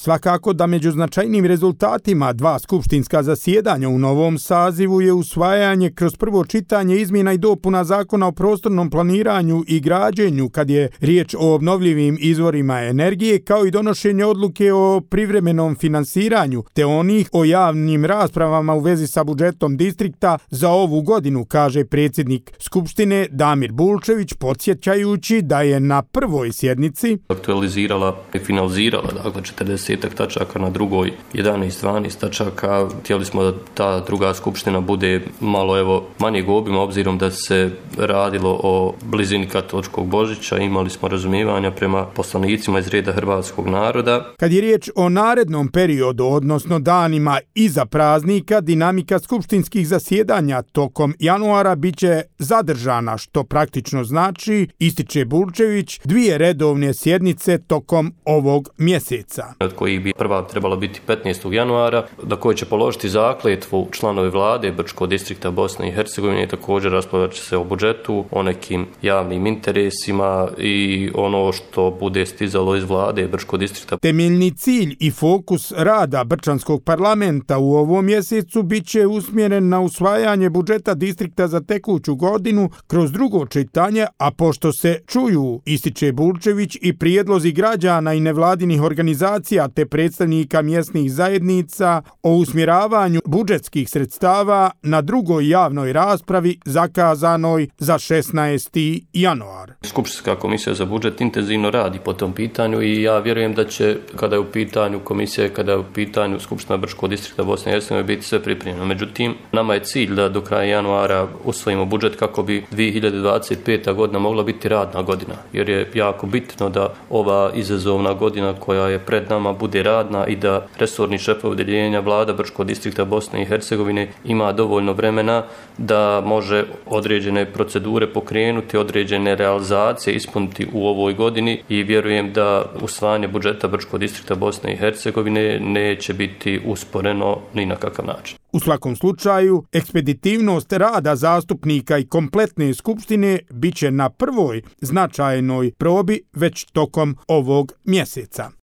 Svakako da među značajnim rezultatima 2 skupštinska zasjedanja u novom sazivu je usvajanje kroz prvo čitanje izmjena i dopuna Zakona o prostornom planiranju i građenju kad je riječ o obnovljivim izvorima energije, kao i donošenje odluke o privremenom finansiranju te onih o javnim raspravama u vezi sa budžetom distrikta za ovu godinu, kaže predsjednik Skupštine Damir Bulčević, podsjećajući da je na prvoj sjednici aktualizirala i finalizirala 40 tačaka, na drugoj 11-12 tačaka. Htjeli smo da ta druga skupština bude malo manjeg obima, obzirom da se radilo o blizini katoličkog Božića. Imali smo razumijevanja prema poslanicima iz reda hrvatskog naroda. Kad je riječ o narednom periodu, odnosno danima iza praznika, dinamika skupštinskih zasjedanja tokom januara biće zadržana, što praktično znači, ističe Bulčević, 2 redovne sjednice tokom ovog mjeseca. Od kojih bi prva trebala biti 15. januara, na kojoj će položiti zakletvu članovi vlade Brčkog distrikta Bosne i Hercegovine. Također raspravljat će se o budžetu, o nekim javnim interesima i ono što bude stizalo iz vlade Brčkog distrikta. Temeljni cilj i fokus rada Brčanskog parlamenta u ovom mjesecu biće usmjeren na usvajanje budžeta distrikta za tekuću godinu kroz drugo čitanje, a pošto se čuju, ističe Bulčević, i prijedlozi građana i nevladinih organizacija te predstavnika mjesnih zajednica o usmjeravanju budžetskih sredstava na drugoj javnoj raspravi zakazanoj za 16. januar. Skupštinska komisija za budžet intenzivno radi po tom pitanju i ja vjerujem da će, kada je u pitanju komisija, kada je u pitanju Skupština Brčkog distrikta Bosne i Hercegovine, biti sve pripremljeno. Međutim, nama je cilj da do kraja januara usvojimo budžet kako bi 2025. godina mogla biti radna godina, jer je jako bitno da ova izazovna godina koja je pred nama bude radna i da resorni šefovi odjeljenja vlada Brčkog distrikta Bosne i Hercegovine ima dovoljno vremena da može određene procedure pokrenuti, određene realizacije ispuniti u ovoj godini i vjerujem da usvajanje budžeta Brčkog distrikta Bosne i Hercegovine neće biti usporeno ni na kakav način. U svakom slučaju, ekspeditivnost rada zastupnika i kompletne skupštine biće na prvoj značajnoj probi već tokom ovog mjeseca.